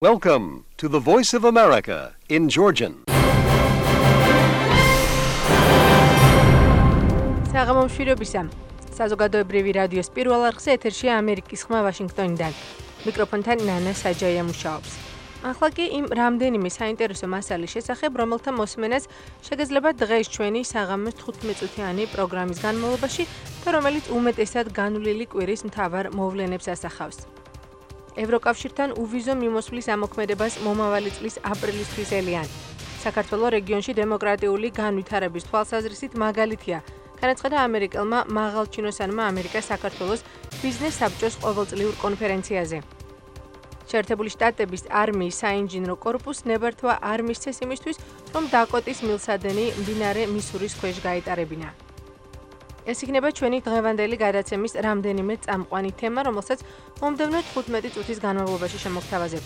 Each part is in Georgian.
Welcome to the Voice of America in Georgian. საღამომშვიდობისა. საზოგადოებრივი რადიოს პირველ არხზე ეთერშია ამერიკის ხმა ვაშინგტონიდან. მიკროფონთან ნანა საჯაია მუშაობს. ახლა კი იმ რამდენიმე საინტერესო მასალის შესახებ, რომელთა მოსმენას შეგეძლება დღეს ჩვენი საღამოს 15-წუთიანი პროგრამის განმავლობაში და რომელიც უმეტესად განვლილი კვირის მთავარ მოვლენებს ასახავს. ევროკავშირთან უვიზო მიმოსვლის ამოქმედებას მომავალი წლის აპრილისთვის ელიან. საქართველოს რეგიონში დემოკრატიული განვითარების თვალსაზრისით მაგალითია, განაცხადა ამერიკელმა მაღალჩინოსანმა ამერიკას საქართველოს ბიზნეს საბჭოს ყოველწლიურ კონფერენციაზე. შეერთებული შტატების არმიის საინჟინრო კორპუსს ნებართვა არ მისცეს იმისთვის, რომ დაკოტის მილსადენი მდინარე მისურის ქვეშ გაეტარებინა. ეს იქნება ჩვენი დღევანდელი გადაცემის რამდენიმე წამყვანი თემა, რომელსაც მომდევნო 15 წუთის განმავლობაში შემოგთავაზებ.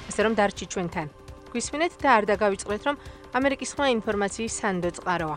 ასე რომ დარჩით ჩვენთან. გვისმინეთ და არ დაგავიწყდეთ, რომ ამერიკის ხმა ინფორმაციის სანდო წყაროა.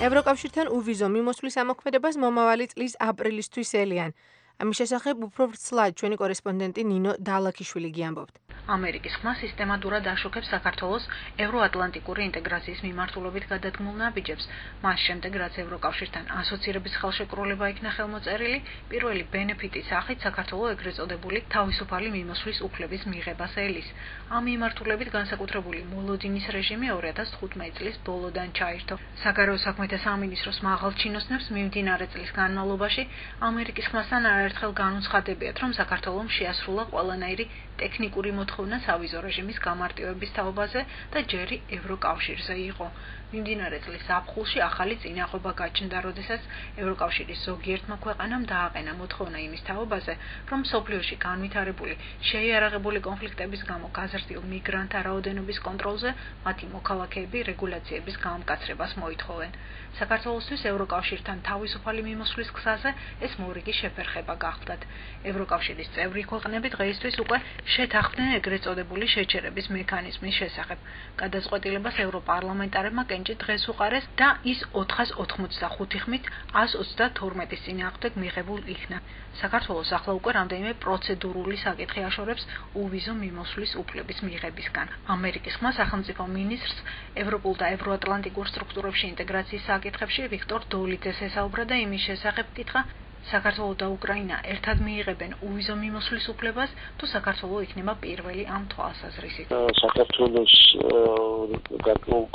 ევროკავშირთან უვიზო მიმოსვლის ამოქმედებას მომავალი წლის აპრილისთვის ელიან. ამის შესახებ უფრო ვრცლად ჩვენი კორესპონდენტი ნინო დალაქიშვილი გიამბობთ. ამერიკის ხმა სისტემატურად აშუქებს საქართველოს ევროატლანტიკური ინტეგრაციის მიმართულებით გადადგმულ ნაბიჯებს. მას შემდეგ, რაც ევროკავშირთან ასოცირების ხელშეკრულება იქნა ხელმოწერილი, პირველი ბენეფიტის სახით საქართველოს ეგრეთ წოდებული თავისუფალი მიმოსვლის უფლების მიღებას ელის. ამ მიმართულებით განსაკუთრებული მოლოდინის რეჟიმი 2015 წლის ბოლოდან ჩაირთო. საგარეო საქმეთა სამინისტროს მაღალჩინოსნებს მიმდინარე წლის განმავლობაში ამერიკის ხმასთან არაერთხელ განუცხადებიათ, რომ საქართველოს შეასრულა ყველანაირი ტექნიკური მოთხოვნა სავიზო რეჟიმის გამარტივების თაობაზე და ჯერი ევროკავშირზე იყო. მიმდინარე წლის ზაფხულში ახალი წინააღმობა გაჩნდა, როდესაც ევროკავშირის ზოგიერთმა ქვეყანამ დააყენა მოთხოვნა იმის თაობაზე, რომ მსოფლიოში განვითარებული შეიარაღებული კონფლიქტების გამო გაზრდილ მიგრანტთა რაოდენობის კონტროლზე მათი მოქალაქეები რეგულაციების გამკაცრებას მოითხოვენ. საქართველოსთვის ევროკავშირთან თავისუფალი მიმოსვლის გზაზე ეს მორიგი შეფერხება გახდათ. ევროკავშირის წევრი ქვეყნები დღეისთვის უკვე შეთანხმდნენ ეგრეთ წოდებული შეჩერების მექანიზმის შესახებ. გადაწყვეტილებას ევროპარლამენტარებმა კენჭი დღეს უყარეს და ის 485 ხმით 132-ის წინააღმდეგ მიღებულ იქნა. საქართველოს ახლა უკვე რამდენიმე პროცედურული საკითხი აშორებს უვიზო მიმოსვლის უფლების მიღებისგან. ამერიკის ხმა სახელმწიფო მინისტრს ევროპულ და ევროატლანტიკურ სტრუქტურებში ინტეგრაციის საკითხებში ვიქტორ დოლიძეს ესაუბრა და იმის შესახებ კითხა, საქართველო და უკრაინა ერთად მიიღებენ უვიზო მიმოსვლის უფლებას, თუ საქართველო იქნება პირველი ამ თვალსაზრისით. საქართველოს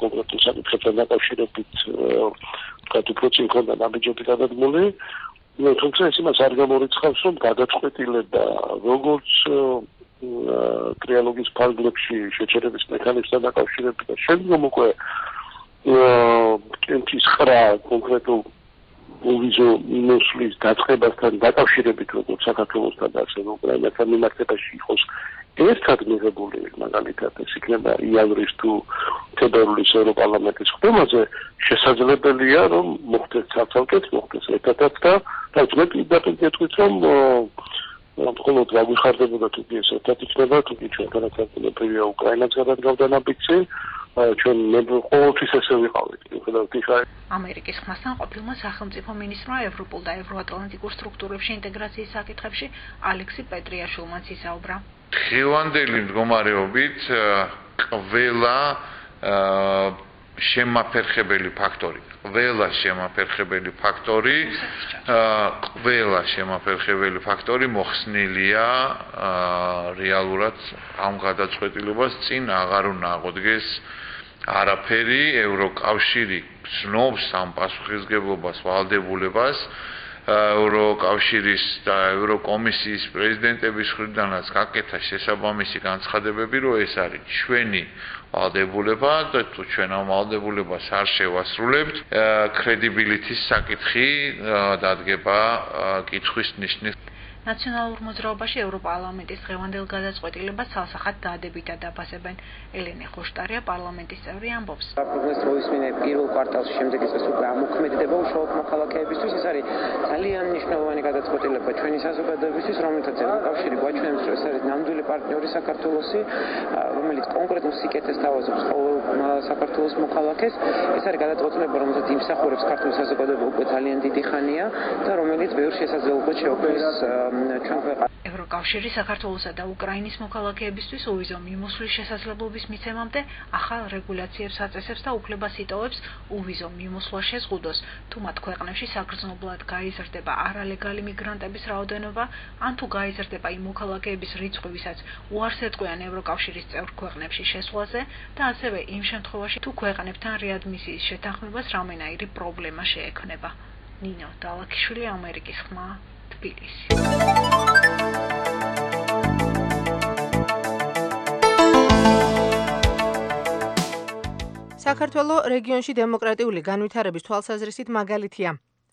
კონკრეტულ საკითხებთან დაკავშირებით κάτι უფრო წინ ქონდა ნაბიჯები გადადგმული, თუმცა ეს იმას არ გამორიცხავს, რომ გადაწყვეტილება როგორც ტრიალოგის ფარგლებში შეჩერების მექანიზმთან დაკავშირებით და შემდგომ უკვე კენჭის ხრა კონკრეტულ უვიზო მიმოსვლის დაწყებასთან დაკავშირებით, როგორც საქართველოსთან და ასევე უკრაინასთან მიმართებაში იყოს ერთად მიღებული, მაგალითად ეს იქნება იანვრის თუ თებერვლის ევროპარლამენტის ხდომაზე, შესაძლებელია, რომ მოხდეს ცალკე-ცალკე, მოხდეს ერთადაც და მე პირდაპირ გეტყვით, რომ მხოლოდ რა გვიხარდებოდა თუ კი ეს ერთად იქნება, თუ კი ჩვენ განაცხადებია უკრაინაც გადადგავდა ნაბიჯზე, ჩვენ ყოველთვის ესე ვიყავით. ამერიკის ხმასთან ყოფილმა სახელმწიფო მინისტრმა ევროპულ და ევროატლანტიკურ სტრუქტურებში ინტეგრაციის საკითხებში ალექსი პეტრიაშვილმაც ისაუბრა. დღევანდელი მდგომარეობით ყველა შემაფერხებელი ფაქტორი მოხსნილია რეალურად ამ გადაწყვეტილებას წინ აღარ უნდა აღოდგეს არაფერი. ევროკავშირი ცნობს ამ პასუხისმგებლობას ვალდებულებას. ევროკავშირის და ევროკომისიის პრეზიდენტების მხრიდანაც გაკეთა შესაბამისი განცხადებები, რომ ეს არის ჩვენი ვალდებულება და თუ ჩვენ ამ ვალდებულებას არ შევასრულებთ, credibility-ის საკითხი დადგება კითხვის ნიშნის. ნაციონალურ მოძრაობაში ევროპარლამენტის დღევანდელ გადაწყვეტილებას ცალსახად დადებითად აფასებენ. ელენე ხოშტარია პარლამენტის წევრი ამბობს. პროგნოზს როისმინე პირველ კვარტალში შემდეგ წელს უკვე ამოქმედება უშუალოდ მოქალაქეებისთვის. ეს არის ძალიან მნიშვნელოვანი გადაწყვეტილება ჩვენი საზოგადოებისთვის, რომელთაც ევროკავშირი გვაჩვენებს, რომ ეს არის ნამდვილი პარტნიორი საქართველოსი, რომელიც კონკრეტულ სიკეთეს თავაზობს ყოველ საქართველოს მოქალაქეს. ეს არის გადაწყვეტილება, რომელსაც იმსახურებს ქართული საზოგადოება უკვე ძალიან დიდი ხანია და რომელიც ბევრ შესაძლებლობას შეუქმნის ჩვენ ქვეყანას. ევროკავშირი საქართველოსა და უკრაინის მოქალაქეებისთვის უვიზო მიმოსვლის შესაძლებლობის მიცემამდე ახალ რეგულაციებს აწესებს და უფლებას იტოვებს უვიზო მიმოსვლა შეზღუდოს, თუ მათ ქვეყნებში საგრძნობლად გაიზრდება არალეგალი მიგრანტების რაოდენობა, ან თუ გაიზრდება იმ მოქალაქეების რიცხვი, ვისაც უარს ეტყვიან ევროკავშირის წევრ ქვეყნებში შესვლაზე და ასევე იმ შემთხვევაში, თუ ქვეყნებთან რეადმისიის შეთანხმებას რამენაირი პრობლემა შეექმნება. ნინო დალაქიშვილი, ამერიკის ხმა, თბილისი. საქართველოს რეგიონში დემოკრატიული განვითარების თვალსაზრისით მაგალითია.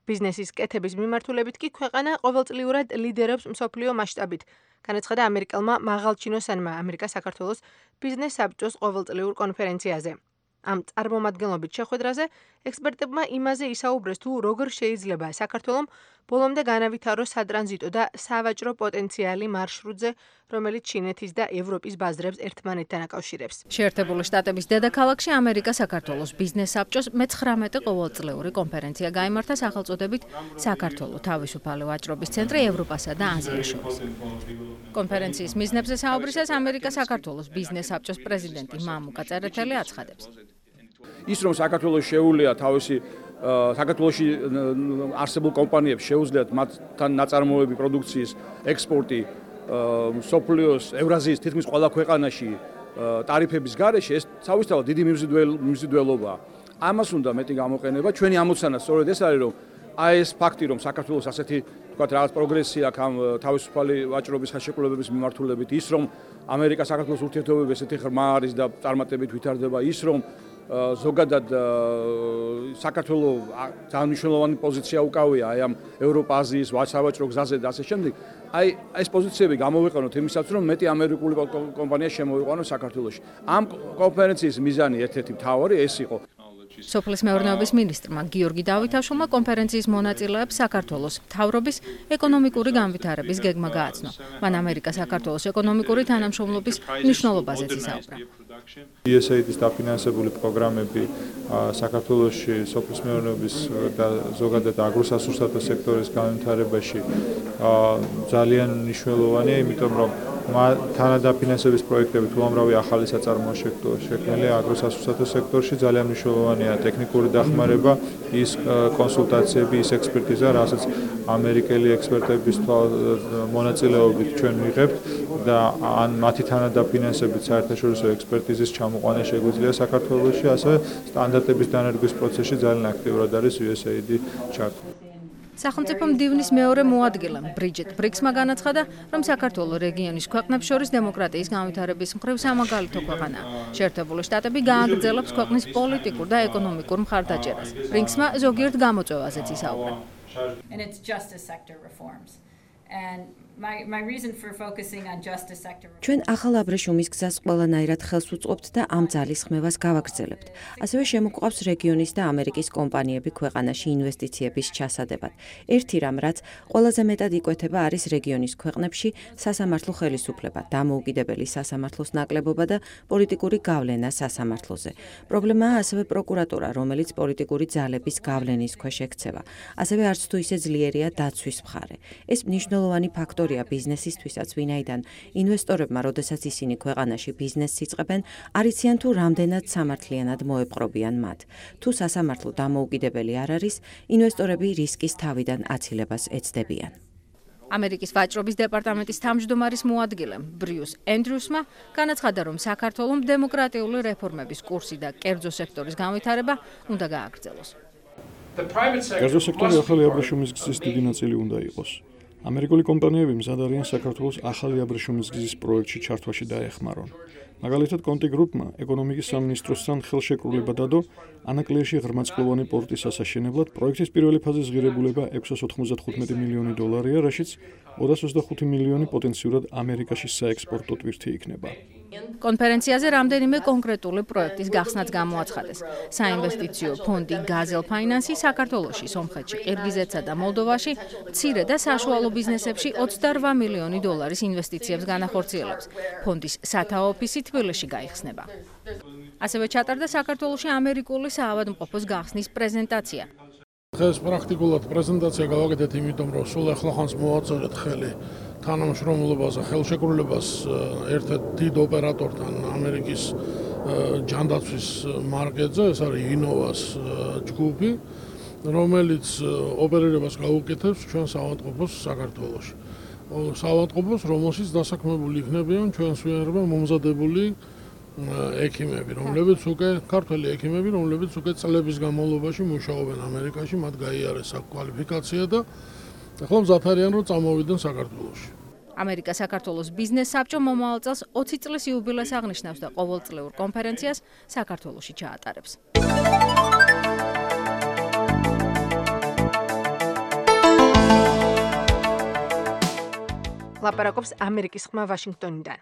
ბიზნესის კეთების მიმართულებით კი ქვეყანა ყოველწლიურად ლიდერობს მსოფლიო მასშტაბით. განაცხადა ამერიკელმა მაღალჩინოსანმა ამერიკა საქართველოს ბიზნეს საბჭოს ყოველწლიურ კონფერენციაზე. ამ წარმომადგენლობით შეხვედრაზე ექსპერტებმა იმაზე ისაუბრეს, თუ როგორ შეიძლება საქართველოს ბოლომდე განავითაროს სატრანზიტო და სავაჭრო პოტენციალი მარშრუტზე, რომელიც ჩინეთის და ევროპის ბაზრებს ერთმანეთთან აკავშირებს. შეერთებული შტატების დედაქალაქში ამერიკა საქართველოს ბიზნეს საბჭოს მე-19 ყოველწლიური კონფერენცია გაიმართა სახელწოდებით საქართველოს თავისუფალი ვაჭრობის ცენტრი ევროპასა და აზიას შორის. კონფერენციის მიზნებზე საუბრისას ამერიკა საქართველოს ბიზნეს საბჭოს პრეზიდენტი მამუკა წერეთელი აცხადებს. ის რომ საქართველოს შეუძლია თავისი საქართველოში არსებულ კომპანიებს შეუძლიათ მათთან ნაწარმოები პროდუქციის ექსპორტი სოფლიოს ევრაზიის თითქმის ყველა ქვეყანაში ტარიფების გარეშე ეს თავისთავად დიდი მიმზიდველობაა. ამას უნდა მეტი გამოყენება. ჩვენი ამოცანა სწორედ ეს არის, რომ აი ეს ფაქტი, რომ საქართველოს ასეთი თქვათ რაღაც პროგრესია აქვს ამ თავისუფალი ვაჭრობის ხელშეკრულებების მიმართულებით, ის რომ ამერიკა საქართველოს ურთიერთობები ესეთი ღრმა არის და წარმატებით ვითარდება, ის რომ ზოგადად საქართველოს ძალიან მნიშვნელოვანი პოზიცია უკავია აი ამ ევროპა-აზიის სავაჭრო გზაზე და ასე შემდეგ. აი ეს პოზიციები გამოვიყენოთ იმისათვის, რომ მეტი ამერიკული კომპანია შემოვიყვანოს საქართველოში. ამ კონფერენციის მიზანი ერთ-ერთი მთავარი ეს იყო. სოფლის მეურნეობის მინისტრმა გიორგი დავითაშვილმა კონფერენციის მონაწილეებს საქართველოს მთავრობის ეკონომიკური განვითარების გეგმა გააცნო. მან ამერიკა საქართველოს ეკონომიკური თანამშრომლობის მნიშვნელობაზეც ისაუბრა. USAID-ის დაფინანსებული პროგრამები საქართველოში სოფლის მეურნეობის და ზოგადად აგროსასურსათო სექტორის განვითარებაში ძალიან მნიშვნელოვანია, იმიტომ რომ თანადაფინანსების პროექტები თუ ამრავი ახალი საწარმოო შექმნილი აგროსასურსათო სექტორში ძალიან მნიშვნელოვანია ტექნიკური დახმარება, ის კონსულტაციები, ის ექსპერტიზა, რასაც ამერიკელი ექსპერტების მონაწილეობით ჩვენ ვიღებთ და ან მათი თანადაფინანსებით საერთაშორისო ექსპერტიზის ჩამოყვანა შეგვიძლია საქართველოში, ასევე სტანდარტების დანერგვის პროცესში ძალიან აქტიურად არის USAID ჩართული. სახელმწიფო მდივნის მეორე მოადგილემ ბრიჯეტ ბრიქსმა განაცხადა, რომ საქართველოს რეგიონის ქვეყნებს შორის დემოკრატიის განვითარების მხრივ სამაგალითო ქვეყანაა. შეერთებული შტატები გააგრძელებს ქვეყნის პოლიტიკურ და ეკონომიკურ მხარდაჭერას. ბრიქსმა ზოგიერთ გამოწვევაზეც ისაუბრა. ჩვენ ახალ აბრეშუმის გზას ყველანაირად ხელს უწყობთ და ამ ძალის ხმევას გავაგრძელებთ. ასევე შემოგვყავს რეგიონის და ამერიკის კომპანიები ქვეყანაში ინვესტიციების ჩასადებად. ერთი რამ, რაც ყველაზე მეტად იკვეთება, არის რეგიონის ქვეყნებში სასამართლო ხელისუფლება, დამოუკიდებელი სასამართლოს ნაკლებობა და პოლიტიკური გავლენა სასამართლოზე. პრობლემაა ასევე პროკურატურა, რომელიც პოლიტიკური ძალების გავლენის ქვეშ ექცევა. ასევე არც თუ ისე ძლიერია დაცვის მხარე. ეს მნიშვნელოვანი ფაქტორია ბიზნესისთვისაც, ვინაიდან ინვესტორებმა, როდესაც ისინი ქვეყანაში ბიზნესს იწყებენ, არ იციან თუ რამდენად სამართლიანად მოეპყრობიან მათ. თუ სასამართლო დამოუკიდებელი არ არის, ინვესტორები რისკის თავიდან აცილებას ეცდებიან. ამერიკის ვაჭრობის დეპარტამენტის თავმჯდომარის მოადგილემ ბრიუს ენდრიუსმა განაცხადა, რომ საქართველოს დემოკრატიული რეფორმების კურსი და კერძო სექტორის განვითარება უნდა გააგრძელოს. კერძო სექტორი ახალი აბრეშუმის გზის დიდი ნაწილი უნდა იყოს. ამერიკული კომპანიები მზად არიან საქართველოს ახალი აბრეშუმის გზის პროექტში ჩართვაში დაეხმარონ. მაგალითად, კონტი გრუპმა ეკონომიკის სამინისტროსთან ხელშეკრულება დადო ანაკლიაში ღრმაწყლოვანი პორტის ასაშენებლად. პროექტის პირველი ფაზის ღირებულება $695 მილიონი, რაშიც 225 მილიონი პოტენციურად ამერიკაში საექსპორტო ტვირთი იქნება. კონფერენციაზე რამდენიმე კონკრეტული პროექტის გახსნაც გამოაცხადეს. საინვესტიციო ფონდი გაზელ ფაინანსი საქართველოში, სომხეთში, ყირგიზეთსა და მოლდოვაში მცირე და საშუალო ბიზნესებში $28 მილიონი ინვესტიციებს განახორციელებს. ფონდის სათაო ოფისი თბილისში გაიხსნება. ასევე ჩატარდა საქართველოში ამერიკული საავადმყოფოს გახსნის პრეზენტაცია. დღეს პრაქტიკულად პრეზენტაცია გავაკეთეთ, იმიტომ რომ სულ ახლახანს მოვაწერეთ ხელი თანამშრომლობაზე, ხელშეკრულებას ერთ-ერთ დიდ ოპერატორთან ამერიკის ჯანდაცვის მარკეტზე, ეს არის ინოვას ჯგუფი, რომელიც ოპერირებას გაუკეთებს ჩვენ საავადმყოფოს საქართველოში. საავადმყოფოს, რომელშიც დასაქმებული იქნებიან ჩვენს მიერ მომზადებული ექიმები, რომლებიც უკვე ქართველი ექიმები, რომლებიც უკვე წლების განმავლობაში მუშაობენ ამერიკაში, მათ გაიარეს საკვალიფიკაცია და ახლა მზად არიან რომ წამოვიდნენ საქართველოში. ამერიკა საქართველოს ბიზნეს საბჭო მომავალ წელს 20 წლის იუბილეს აღნიშნავს და ყოველწლიურ კონფერენციას საქართველოში ჩაატარებს. ლაპარაკობს ამერიკის ხმა ვაშინგტონიდან.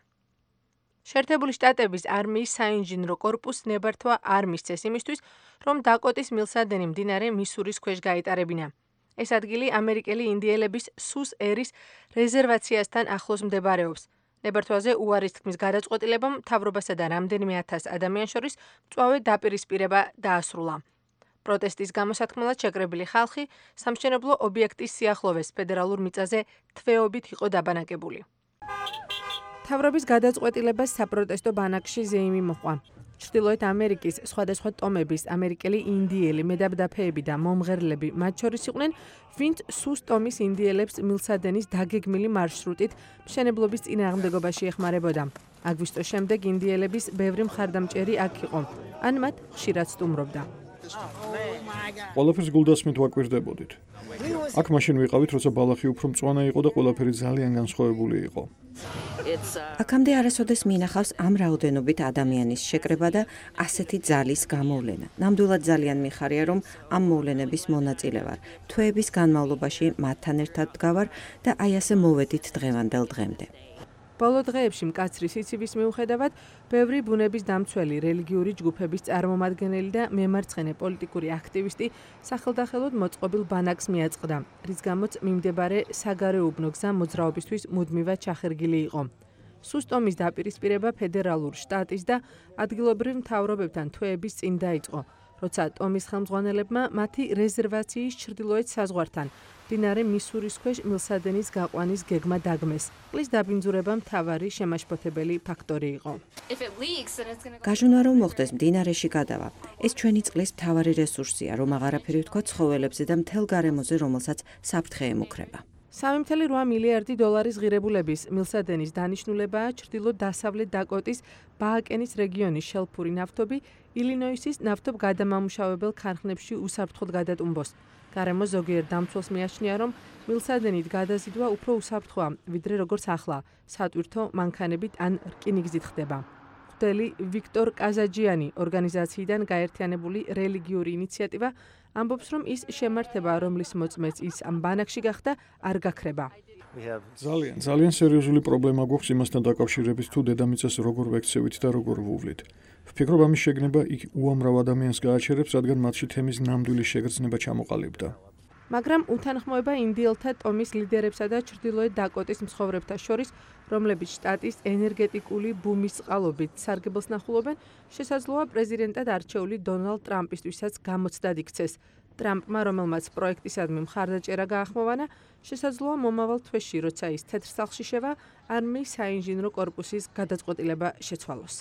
შეერთებული შტატების არმიის საინჟინრო კორპუსს ნებართვა არ მისცეს იმისთვის, რომ დაკოტის მილსადენი მდინარე მისურის ქვეშ გაეტარებინა. ეს ადგილი ამერიკელი ინდიელების სუს ერის რეზერვაციასთან ახლოს მდებარეობს. ნებართვაზე უარის თქმის გადაწყვეტილებამ მთავრობასა და რამდენიმე ათას ადამიანს შორის მწვავე დაპირისპირება დაასრულა. პროტესტის გამოსათქმელად შეკრებილი ხალხი სამშენებლო ობიექტის სიახლოვეს ფედერალურ მიწაზე თვეობით იყო დაბანაკებული. მთავრობის გადაწყვეტილებას საპროტესტო ბანაკში ზეიმი მოჰყვა. ჩრდილოეთ ამერიკის სხვადასხვა ტომების ამერიკელი ინდიელი მედაბდაფეები და მომღერლები მათ შორის იყვნენ, ვინც სუს ტომის ინდიელებს მილსადენის დაგეგმილი მარშრუტით მშენებლობის წინააღმდეგობაში ეხმარებოდა. აგვისტოს შემდეგ ინდიელების ბევრი მხარდამჭერი აქ იყო, ან მათ ხშირად სტუმრობდა. ყველაფერს გულდასმით ვაკვირდებოდით. აქ მაშინ ვიყავით, როცა ბალახი უფრო მწვანე იყო და ყველაფერი ძალიან განსხვავებული იყო. აქამდე არასოდეს მინახავს ამ რაოდენობით ადამიანის შეკრება და ასეთი ძალის გამოვლენა. ნამდვილად ძალიან მიხარია, რომ ამ მოვლენების მონაწილე ვარ. თვეების განმავლობაში მათთან ერთად დგავარ და აი ასე მოვედით დღევანდელ დღემდე. ბოლო დღეებში მკაცრი სიცივის მიუხედავად, ბევრი ბუნების დამცველი, რელიგიური ჯგუფების წარმომადგენელი და მემარცხენე პოლიტიკური აქტივისტი სახელდახელოდ მოწყობილ ბანაკს მიაწყდა, რის გამოც მიმდებარე საგარეუბნო გზა მოძრაობისთვის მუდმივად ჩახერგილი იყო. სუს ტომის დაპირისპირება ფედერალურ, შტატის და ადგილობრივ მთავრობებთან თვეების წინ დაიწყო, როცა ტომის ხელმძღვანელებმა მათი რეზერვაციის ჩრდილოეთ საზღვართან მდინარე მისურის ქვეშ მილსადენის გაყვანის გეგმა დაგმეს. წყლის დაბინძურება მთავარი შემაშფოთებელი ფაქტორი იყო. გაჟონა რომ მოხდეს მდინარეში გადავა. ეს ჩვენი წყლის მთავარი რესურსია, რომ აღარაფერი ვთქვა ცხოველებზე და მთელ გარემოზე, რომელსაც საფრთხე ემუქრება. 3.8 მილიარდი დოლარის ღირებულების მილსადენის დანიშნულებაა ჩრდილო-დასავლეთ დაკოტის ბააკენის რეგიონის შელფური ნავთობი ილინოისის ნავთობგადამამუშავებელ ქარხნებში უსაფრთხოდ გადატუმბოს. გარემო ზოგიერთ დამცველს მიაჩნია, რომ მილსადენით გადაზიდვა უფრო უსაფრთხოა, ვიდრე როგორც ახლა, სატვირთო მანქანებით ან რკინიგზით ხდება. მღვდელი ვიქტორ კაზაჯიანი ორგანიზაციიდან გაერთიანებული რელიგიური ინიციატივა ამბობს, რომ ის შემართება, რომლის მოწმეც ის ამ ბანაკში გახდა, არ გაქრება. ძალიან სერიოზული პრობლემა გვაქვს იმასთან დაკავშირებით, თუ დედამიწას როგორ ვექცევით და როგორ ვუვლით. ვფიქრობ, ამის შეგნება იქ უამრავ ადამიანს გააჩერებს, რადგან მათში თემის ნამდვილი შეგრძნება ჩამოყალიბდა. მაგრამ უთანხმოება ინდიელთა ტომის ლიდერებსა და ჩრდილოეთ დაკოტის მცხოვრებთა შორის, რომლებიც შტატის ენერგეტიკული ბუმის წყალობით სარგებელს ნახულობენ, შესაძლოა პრეზიდენტად არჩეული დონალდ ტრამპისთვისაც გამოცდად იქცეს. ტრამპმა, რომელმაც პროექტისადმი მხარდაჭერა გაახმოვანა, შესაძლოა მომავალ თვეში, როცა ის თეთრ სახლში შევა, არმიის საინჟინრო კორპუსის გადაწყვეტილება შეცვალოს.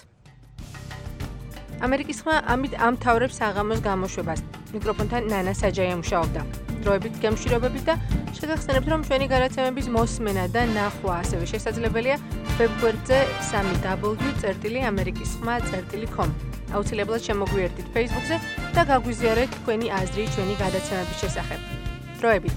ამერიკის ხმა ამით ამთავრებს საღამოს გამოშვებას. მიკროფონთან ნანა საჯაია მუშაობდა. დროებით გემშვიდობებით და შეგახსენებთ, რომ ჩვენი გადაცემების მოსმენა და ნახვა ასევე შესაძლებელია ვებგვერდზე www.amerikiskhma.com. აუცილებლად შემოგვიერთდით Facebook-ზე და გაგვიზიარეთ თქვენი აზრი ჩვენი გადაცემების შესახებ. დროებით.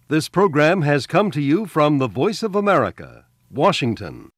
This program has come to you from the Voice of America, Washington.